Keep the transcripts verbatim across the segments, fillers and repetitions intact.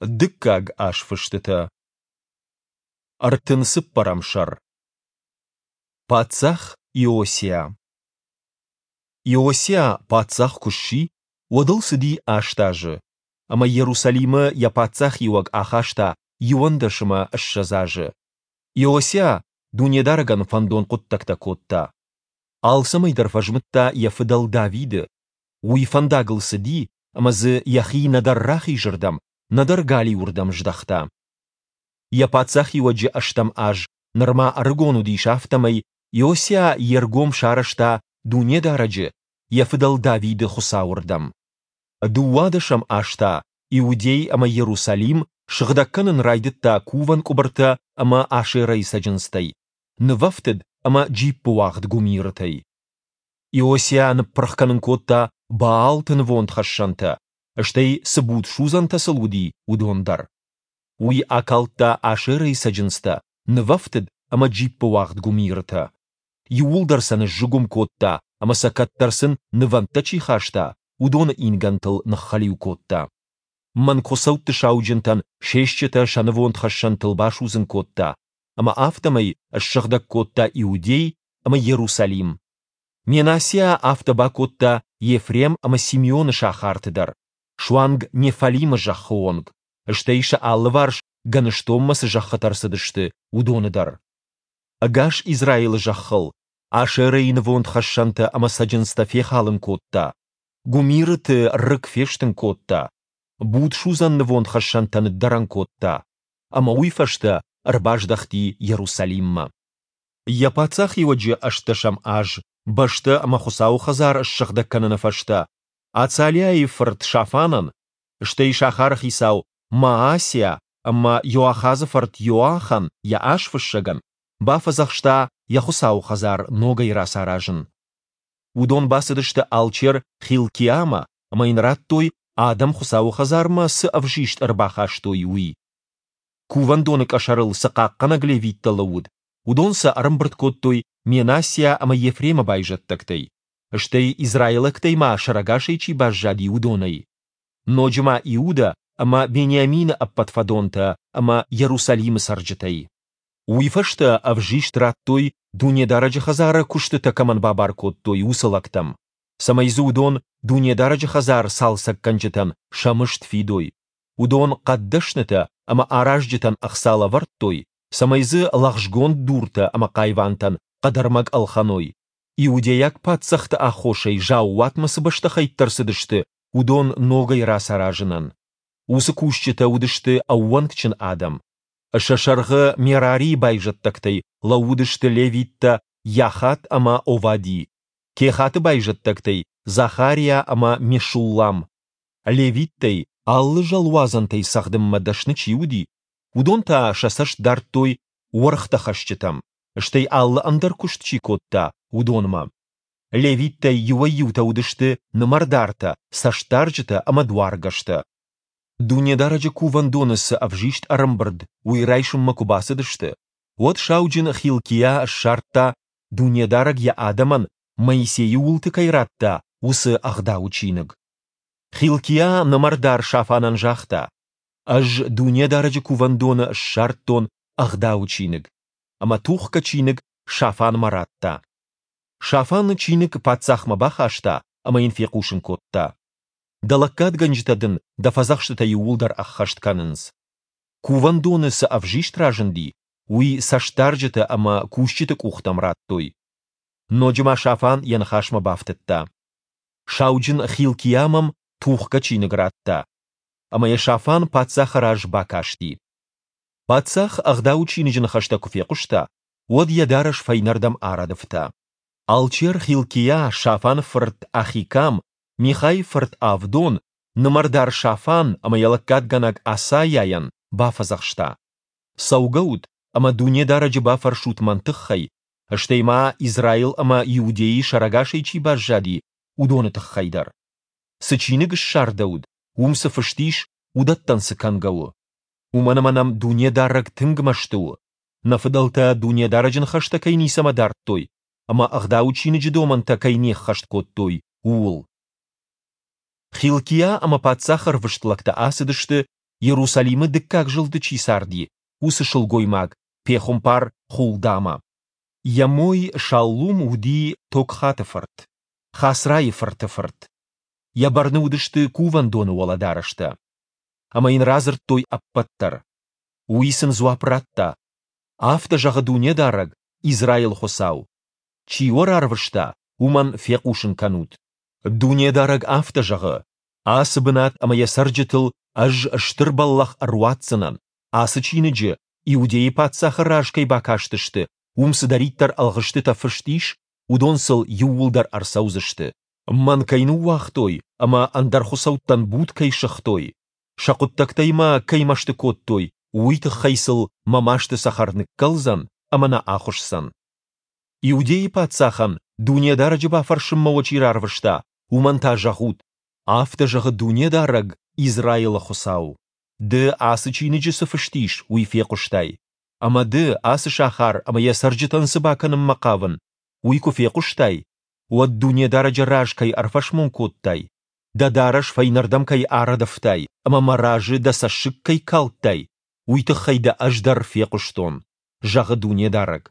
Дыккаг азфыстытӕ. Ӕртын цыппӕрӕм сӕр. Паддзах Иосиа. Иосиа паддзах куы сси, уӕд ыл цыди аст азы, ӕмӕ Иерусалимы йӕ паддзахиуӕг ахаста иуӕндӕс ӕмӕ ссӕдз азы. Иосиа Дунедарӕгӕн фӕндон хъуыддӕгтӕ кодта. Алцӕмӕй дӕр фӕзмыдта йӕ фыдӕл Давиды. Уый фӕндагыл цыди ӕмӕ дзы йӕхи нӕдӕр рахизырдӕм, нӕдӕр галиуырдӕм здӕхта. Йӕ паддзахиуӕджы ӕстӕм аз, нырма ӕрыгон уыдис, афтӕмӕй Иосиа йе ргом сарӕзта Дунедарӕджы, йӕ фыдӕл Давиды Хуыцауы рдӕм. Дыууадӕсӕм аз та Иудей ӕмӕ Иерусалим сыгъдӕг кӕнын райдыдта кувӕн къуыбыртӕ ӕмӕ Ашерӕйы цӕджындзтӕй, нывӕфтыд ӕмӕ джиппыуагъд гуымирытӕй. Иосиа ныппырх кӕнын кодта Баалты нывондхӕссӕнтӕ, стӕй цы будсудзӕнтӕ сыл уыди, уыдон дӕр. Уый акалдта Ашерӕйы цӕджындзтӕ, нывӕфтыд ӕмӕ джиппыуагъд гуымирытӕ. Иууылдӕр сӕ ныззыгуым кодта ӕмӕ сӕ кӕддӕр сын нывӕндтӕ чи хаста, уыдоны ингӕнтыл ныххӕлиу кодта. Мӕнгхуыцӕутты сауджынтӕн се стджытӕ сӕ нывондхӕссӕнтыл басудзын кодта, ӕмӕ афтӕмӕй ссыгъдӕг кодта Иудей ӕмӕ Иерусалим. Менассиа афтӕ бакодта Ефрем ӕмӕ Симеоны сахарты дӕр, суанг Неффалимы зӕххы онг, стӕй сӕ алыварс гӕныстонмӕ цы зӕххытӕ рцыдысты, уыдоны дӕр. Ӕгас Израилы зӕххыл Ашерӕйы нывондхӕссӕнтӕ ӕмӕ цӕджындзтӕ фехалын кодта, гуымирыты рыг фестын кодта, будсудзӕн нывондхӕссӕнтӕ ныддӕрӕн кодта, ӕмӕ уый фӕстӕ ӕрбаздӕхти Иерусалиммӕ. Йӕ паддзахиуӕджы ӕстдӕсӕм аз, бӕстӕ ӕмӕ Хуыцауы хӕдзар ссыгъдӕг кӕныны фӕстӕ, Ацалиайы фырт Шафанӕн, стӕй сахары хицау Маасиа ӕмӕ Иоахазы фырт Иоахӕн йӕ азфыссӕгӕн, бафӕдзӕхста йӕ Хуыцауы хӕдзар ногӕй рацаразын. Уыдон бацыдысты алчер Хилкиамӕ ӕмӕ йын радтой, адӕм Хуыцауы хӕдзармӕ цы ӕвзист ӕрбахастой, уый. Кувӕндоны къӕсӕрыл цы хъахъхъӕнӕг левиттӕ лӕууыд, уыдон сӕ ӕрӕмбырд кодтой Менассиа ӕмӕ Ефремы байзӕддӕгтӕй, стӕй израилӕгтӕй ма сӕрӕгасӕй чи баззади, уыдонӕй. Ноджы ма Иудӕ ӕмӕ Бениамины ӕппӕт фӕдонтӕ ӕмӕ Иерусалимы цӕрджытӕй. Уый фӕстӕ ӕвзист радтой, Дунедарӕджы хӕдзары куыстытӕ кӕмӕн бабар кодтой, уыцы лӕгтӕм, цӕмӕй дзы уыдон Дунедарӕджы хӕдзар цалцӕггӕнджытӕн сӕ мызд фидой. Уыдон хъӕддӕснытӕ ӕмӕ аразджытӕн ӕхца лӕвӕрдтой, цӕмӕй дзы лӕгъзгонд дуртӕ ӕмӕ хъайвантӕн хъӕдӕрмӕг ӕлхӕной, иудейаг паддзӕхты аххосӕй заууатмӕ цы бӕстыхӕйттӕ рцыдысты, уыдон ногӕй рацаразынӕн. Уыцы кусджытӕ уыдысты ӕууӕнкджын адӕм. Сӕ сӕргъы Мерарийы байзӕддӕгтӕй лӕууыдысты левиттӕ Йахат ӕмӕ Овади, Кехаты байзӕддӕгтӕй Захариа ӕмӕ Мешуллам. Левиттӕй алы зӕлуадзӕнтӕй цӕгъдынмӕ дӕсны чи уыди, уыдон та сӕ цӕст дардтой уӕргътӕхӕсджытӕм, стӕй алы ӕндӕр куыст чи кодта, уыдонмӕ. Левиттӕй иуӕй-иутӕ уыдысты нымӕрдартӕ, цӕстдарджытӕ ӕмӕ дуаргӕстӕ. Дунедарӕджы кувӕндоны цы ӕвзист ӕрӕмбырд, уый райсынмӕ куы бацыдысты, уӕд сауджын Хилкиа ссардта, Дунедарӕг йӕ адӕмӕн Моисейы уылты кӕй радта, уыцы Ӕгъдауы чиныг. Хилкиа нымӕрдар Шафанӕн загъта: «Ӕз Дунедарӕджы кувӕндоны ссардтон Ӕгъдауы чиныг». Ӕмӕ тухгӕ чиныг Шафанмӕ радта. Шафан чиныг паддзахмӕ бахаста ӕмӕ йын фехъусын кодта: Дӕ лӕггадгӕнджытӕ дын дӕ фӕдзӕхстытӕ иууылдӕр ӕххӕст кӕнынц. Кувӕндоны цы ӕвзист разынди, уый цӕстдарджытӕ ӕмӕ кусджыты къухтӕм радтой. Ноджы ма Шафан йӕ ныхасмӕ бафтыдта: Сауджын Хилкиа мӕм тухгӕ чиныг радта. Ӕмӕ йӕ Шафан паддзахы раз бакасти. Паддзах Ӕгъдауы чиныджы ныхӕстӕ куы фехъуыста, уӕд йӕ дарӕс фӕйнӕрдӕм арӕдывта. Алчер Хилкиа, Шафаны фырт Ахикам, Михайы фырт Авдон, нымӕрдар Шафан ӕмӕ йӕ лӕггадгӕнӕг Асайайӕн бафӕдзӕхста: Цӕугӕут ӕмӕ Дунедарӕджы бафӕрсут мӕн тыххӕй, стӕй ма Израил ӕмӕ Иудейы сӕрӕгасӕй чи баззади, уыдоны тыххӕй дӕр. Цы чиныг ссардӕуыд, уым цы фыст ис, уыдӕттӕн цы кӕнгӕ у? Уымӕн ӕмӕ нӕм Дунедарӕг тынг мӕсты у, нӕ фыдӕлтӕ Дунедарӕджы ныхӕстӕ кӕй ницӕмӕ дардтой ӕмӕ Ӕгъдауы чиныджы домӕнтӕ кӕй не ххӕст кодтой, ууыл. Хилкиа ӕмӕ паддзахы ӕрвыст лӕгтӕ ацыдысты, Иерусалимы дыккаг зылды чи царди, уыцы сылгоймаг, пехуымпар Хулдамӕ. Йӕ мой Шаллум уыди Токхаты фырт, Хасрайы фырты фырт. Йӕ бӕрны уыдысты кувӕндоны уӕлӕдарӕстӕ. Ӕмӕ йын радзырдтой ӕппӕт дӕр. Уый сын дзуапп радта: Афтӕ зӕгъы Дунедарӕг, Израилы Хуыцау: Чи уӕ рарвыста, уымӕн фехъусын кӕнут: Дунедарӕг афтӕ зӕгъы: Ацы бынат ӕмӕ йӕ цӕрджытыл Ӕз стыр бӕллӕх ӕруадздзынӕн, ацы чиныджы, Иудейы паддзахы раз кӕй бакастысты, уым цыдӕриддӕр ӕлгъыстытӕ фыст ис, уыдон сыл иууылдӕр ӕрцӕудзысты. Мӕн кӕй ныууагътой ӕмӕ ӕндӕр хуыцӕуттӕн буд кӕй сыгътой, сӕ хъуыддӕгтӕй мӕ кӕй мӕсты кодтой, уый тыххӕй сыл мӕ масты цӕхӕр ныккӕлдзӕн ӕмӕ нӕ ахуысдзӕн. Иудейы паддзахӕн, Дунедарӕджы бафӕрсынмӕ уӕ чи рарвыста, уымӕн та зӕгъут: Афтӕ зӕгъы Дунедарӕг, Израилы Хуыцау: Ды, ацы чиныджы цы фыст ис, уый фехъуыстай. Ӕмӕ ды, ацы сахар ӕмӕ йӕ цӕрджытӕн цы бакӕнынмӕ хъавын, уый куы фехъуыстай, уӕд Дунедарӕджы раз кӕй ӕрфӕсмон кодтай, дӕ дарӕс фӕйнӕрдӕм кӕй арӕдывтай ӕмӕ мӕ разы дӕ цӕссыг кӕй калдтай, уый тыххӕй дӕ Ӕз дӕр фехъуыстон, зӕгъы Дунедарӕг.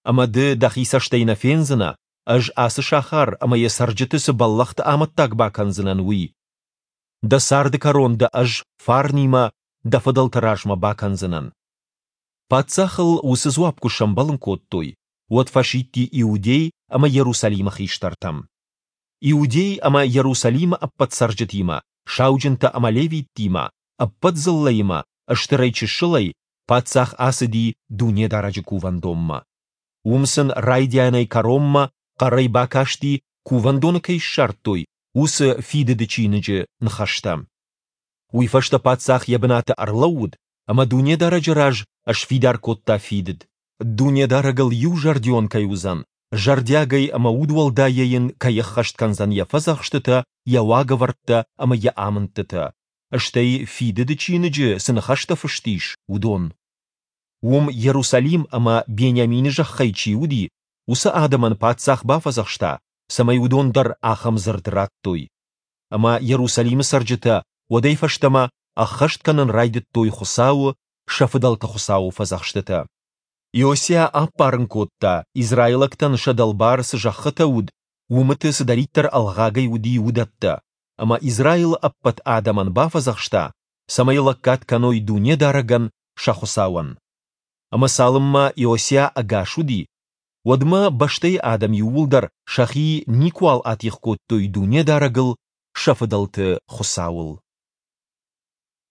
Ӕмӕ ды дӕхи цӕстӕй нӕ фендзынӕ, Ӕз ацы сахар ӕмӕ йӕ цӕрджыты цы бӕллӕхты амӕттаг бакӕндзынӕн, уый. Дӕ царды кӕрон дӕ Ӕз фарнимӕ дӕ фыдӕлты размӕ бакӕндзынӕн. Паддзахыл уыцы дзуапп куы сӕмбӕлын кодтой, уӕд фӕсидти Иудей ӕмӕ Иерусалимы хистӕртӕм. Иудей ӕмӕ Иерусалимы ӕппӕт цӕрджытимӕ, сауджынтӕ ӕмӕ левиттимӕ, ӕппӕт дзыллӕимӕ, стырӕй-чысылӕй, паддзах ацыди Дунедарӕджы кувӕндонмӕ. Уым сын райдианӕй кӕронмӕ хъӕрӕй бакасти, кувӕндоны кӕй ссардтой, уыцы Фидыды чиныджы ныхӕстӕ. Уый фӕстӕ паддзах йӕ бынаты ӕрлӕууыд ӕмӕ Дунедарӕджы раз сфидар кодта фидыд. Дунедарӕгыл иузӕрдион кӕй уыдзӕн, зӕрдиагӕй ӕмӕ удуӕлдайӕ йын кӕй ӕххӕст кӕндзӕн йӕ фӕдзӕхстытӕ, йӕ уагӕвӕрдтӕ ӕмӕ йӕ амындтытӕ, стӕй Фидыды чиныджы цы ныхӕстӕ фыст ис, уыдон. Уым Иерусалим ӕмӕ Бениамины зӕххӕй чи уыди, уыцы адӕмӕн паддзах бафӕдзӕхста, цӕмӕй уыдон дӕр ахӕм дзырд радтой. Ӕмӕ Иерусалимы цӕрджытӕ уӕдӕй фӕстӕмӕ ӕххӕст кӕнын райдыдтой Хуыцауы, сӕ фыдӕлты Хуыцауы фӕдзӕхстытӕ. Иосиа аппарын кодта, израилӕгтӕн сӕ дӕлбар цы зӕххытӕ уыд, уымыты цыдӕриддӕр ӕлгъагӕй уыди, уыдӕттӕ, ӕмӕ Израилы ӕппӕт адӕмӕн бафӕдзӕхста, цӕмӕй лӕггад кӕной Дунедарӕгӕн, сӕ Хуыцауӕн. Ӕмӕ цалынмӕ Иосиа ӕгас уыди, уӕдмӕ бӕстӕйы адӕм иууылдӕр сӕхи никуал атигъ кодтой Дунедарӕгыл, сӕ фыдӕлты Хуыцауыл.